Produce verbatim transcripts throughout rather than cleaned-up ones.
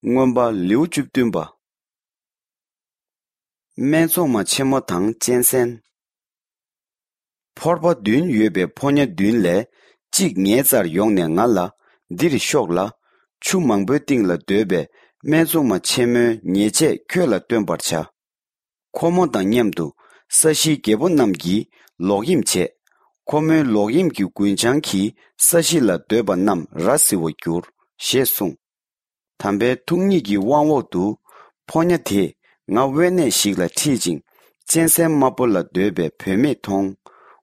མངོན་པ་ལེའུ་བཅུ་བདུན་པ། སྨད་འཚོང་མ་ཆེན་མོ་དང་གཅན་གཟན། ཕོར་པ་བདུན་ཡོད་པའི་ཕོ་ཉ་བདུན་ལས་གཅིག་ངའི་རྩར་ཡོང་ནས་ང་ལ། འདིར་ཤོག་ལ། ཆུ་མང་པོའི་སྟེང་ལ་སྡོད་པའི་སྨད་འཚོང་མ་ཆེན་མོའི་ཉེས་ཆད་ཁྱོད་ལ་སྟོན་པར་བྱ། ཁོ་མོ་དང་མཉམ་དུ་ས་གཞིའི་རྒྱལ་པོ་རྣམས་ཀྱིས་ལོག་གཡེམ་བྱས། ཁོ་མོའི་ལོག་གཡེམ་གྱི་རྒུན་ཆང་གིས་ས་གཞི་ལ་སྡོད་པ་རྣམས་ར་བཟི་བར་འགྱུར། ཞེས་གསུངས། དམ་པའི་ཐུགས་ཉིད་ཀྱི་དབང་འོག་ཏུ། ཕོ་ཉ་དེས་ང་དབེན་གནས་ཤིག་ལ་ཁྲིད་ཅིང་། གཅན་གཟན་དམར་པོ་ལ་སྡོད་པའི་བུད་མེད་མཐོང་།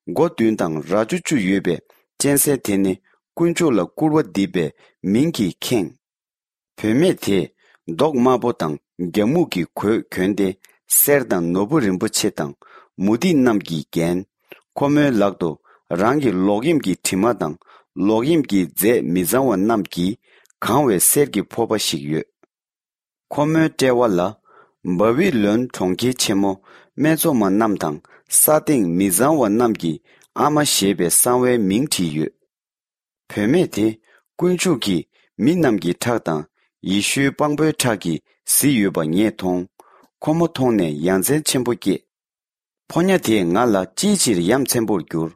མགོ་བདུན་དང་རྭ་ཅོ་བཅུ་ཡོད་པའི་གཅན་གཟན་དེ་ནི་དཀོན་མཆོག་ལ་སྐུར་བ་འདེབས་པའི་མིང་གིས་ཁེངས། བུད་མེད་དེས་མདོག་དམར་པོ་དང་རྒྱ་སྨུག་གི་གོས་གྱོན་ཏེ། གསེར་དང་ནོར་བུ་རིན་པོ་ཆེ་དང་མུ་ཏིག་རྣམས་ཀྱིས་བརྒྱན། ཁོ་མོའི་ལག་ཏུ་རང་གི་ལོག་གཡེམ་གྱི་དྲི་མ་དང་ལོག་གཡེམ་གྱི་རྫས་མི་གཙང་བ་རྣམས་ཀྱིས་གང་བའི་གསེར་གྱི་ཕོར་པ་ཞིག་ཡོད། ཁོ་མོའི་དཔྲལ་བ་ལ། བ་བི་ལོན་གྲོང་ཁྱེར་ཆེན་མོ། སྨད་འཚོང་མ་རྣམས་དང་ས་སྟེང་མི་གཙང་བ་རྣམས་ཀྱི་ཨ་མ་ཞེས་པའི་གསང་བའི་མིང་བྲིས་ཡོད། བུད་མེད་དེ་དཀོན་མཆོག་གིས་མི་རྣམས་ཀྱི་ཁྲག་དང་ཡེ་ཤུའི་དཔང་པོའི་ཁྲག་གིས་བཟི་ཡོད་པ་ངས་མཐོང་། ཁོ་མོ་མཐོང་ནས་ཡ་མཚན་ཆེན་པོ་སྐྱེས། ཕོ་ཉ་དེས་ང་ལ་ཅིའི་ཕྱིར་ཡ་མཚན་པོར་གྱུར།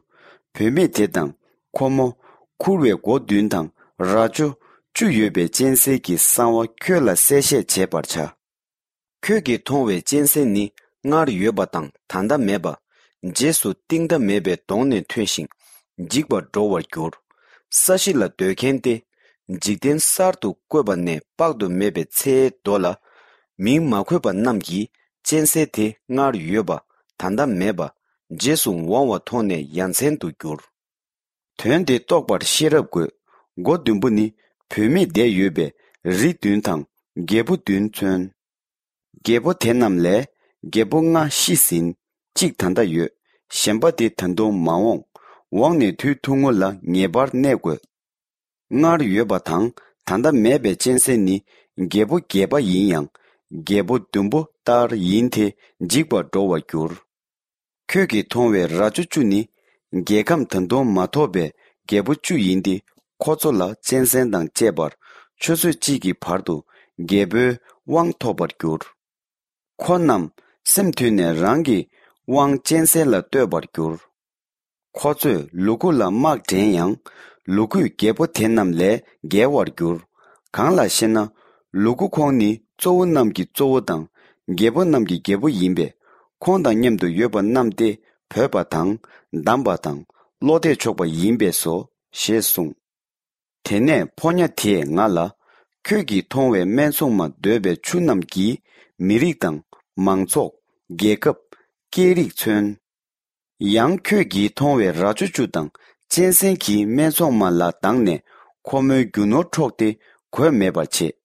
བུད་མེད་དེ་དང་ཁོ་མོ། འཁུར་བའི་མགོ་བདུན་དང་རྭ་ཅོ་བཅུ་ཡོད་པའི་གཅན་གཟན་གྱི་གསང་བ་ཁྱོད་ལ་གསལ་བཤད་བྱེད་པར་བྱ། ཁྱོད་ཀྱིས་མཐོང་བའི་གཅན་གཟན་ནི་སྔར་ཡོད་པ་དང་ད་ལྟ་མེད་པ། རྗེས་སུ་གཏིང་མཐའ་མེད་པའི་དོང་ནས་ཐོན་ཞིང་འཇིག་པར་འགྲོ་བར་འགྱུར། ས་གཞི་ལ་སྡོད་མཁན་ཏེ། འཇིག་རྟེན་གསར་དུ་བཀོད་པ་ནས་དཔག་ཏུ་མེད་པའི་ཚེའི་མདོ་ལ། མིང་མ་འཁོད་པ་རྣམས་ཀྱིས་གཅན་གཟན་དེ་སྔར་ཡོད་པ་ད་ལྟ་མེད་པ། རྗེས་སུ་འོང་བ་མཐོང་ནས་ཡ་མཚན་དུ་གྱུར། དོན་དེ་རྟོགས་པར་ཤེས་རབ་དགོས། མགོ་བདུན་པོ་ནི་བུད་མེད་བསྡད་ཡོད་པའི་རི་བདུན་དང་རྒྱལ་པོ་བདུན་མཚོན། རྒྱལ་པོ་དེ་རྣམས་ལས་རྒྱལ་པོ་ལྔ་ཤི་ཟིན། གཅིག་ད་ལྟ་ཡོད། གཞན་པ་དེ་ད་དུང་མ་འོངས། འོངས་ནས་དུས་ཐུང་ངུ་ལ་ངེས་པར་གནས་དགོས། སྔར་ཡོད་པ་དང་ད་ལྟ་མེད་པའི་གཅན་གཟན་ནི་རྒྱལ་པོ་བརྒྱད་པ་ཡིན་ཡང་། རྒྱལ་པོ་བདུན་པོ་ལྟར་ཡིན་ཏེ་འཇིག་པར་འགྲོ་བར་འགྱུར། ཁྱོད་ཀྱིས་མཐོང་བའི་རྭ་ཅོ་བཅུ་ནི། རྒྱལ་ཁམས་ད་དུང་མ་ཐོབ་པའི་རྒྱལ་པོ་བཅུ་ཡིན་ཏེ། ཁོ་ཚོ་ལ་གཅན་གཟན་དང་བཅས་པར་ཆུ་ཚོད་གཅིག་གི་བར་དུ་རྒྱལ་པོའི་དབང་ཐོབ་པར་འགྱུར། ཁོ་རྣམས་སེམས་མཐུན་ནས་རང་གི་དབང་གཅན་གཟན་ལ་གཏོད་པར་འགྱུར། ཁོ་ཚོས་ལུ་གུ་ལ་དམག་འདྲེན་ཡང་། ལུ་གུས་རྒྱལ་པོ་དེ་རྣམས་ལས་རྒྱལ་བར་འགྱུར། གང་ལགས་ཤེ་ན། ལུ་གུ་ཁོང་ནི་གཙོ་བོ་རྣམས་ཀྱི་གཙོ་བོ་དང་། རྒྱལ་པོ་རྣམས་ཀྱི་རྒྱལ་པོ་ཡིན་པས། ཁོང་དང་མཉམ་དུ་ཡོད་པ་རྣམས་ཏེ་བོས་པ་དང་། བསྡམས་པ་དང་། བློ་གཏད་ཆོག་པ་ཡིན་པས་སོ། ཞེས་གསུངས། དེ་ནས་ཕོ་ཉ་དེས་ང་ལ། ཁྱོད་ཀྱིས་མཐོང་བའི་སྨད་འཚོང་མ་སྡོད་པའི་ཆུ་རྣམས་ཀྱིས་མི་རིགས་དང་། མང་ཚོགས། རྒྱལ་ཁབ། སྐད་རིགས་མཚོན། ཡང་ཁྱོད་ཀྱིས་མཐོང་བའི་རྭ་ཅོ་བཅུ་དང་གཅན་གཟན་གྱིས་སྨད་འཚོང་མ་ལ་སྡང་ནས་ཁོ་མོའི་རྒྱུ་ནོར་འཕྲོག་སྟེ་གོས་མེད་པར་བྱེད།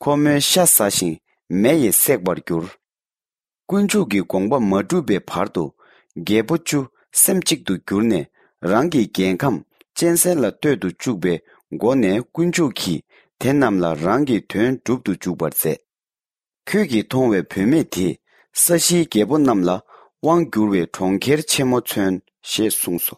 ཁོ་མོའི་ཤ་ཟ་ཞིང་མེ་ཡིས་བསྲེག་པར་འགྱུར། དཀོན་མཆོག་གི་དགོངས་པ་མ་གྲུབ་པའི་བར་དུ། རྒྱལ་པོ་བཅུ་སེམས་གཅིག་ཏུ་གྱུར་ནས། རང་གི་རྒྱལ་ཁམས་གཅན་གཟན་ལ་གཏོད་དུ་བཅུག་པའི་སྒོ་ནས། དཀོན་མཆོག་གིས་དེ་རྣམས་ལ་རང་གི་དོན་སྒྲུབ་ཏུ་འཇུག་པར་མཛད། ཁྱོད་ཀྱིས་མཐོང་བའི་བུད་མེད་དེས་ས་གཞིའི་རྒྱལ་པོ་རྣམས་ལ་དབང་བསྒྱུར་བའི་གྲོང་ཁྱེར་ཆེན་མོ་མཚོན། ཞེས་གསུངས་སོ།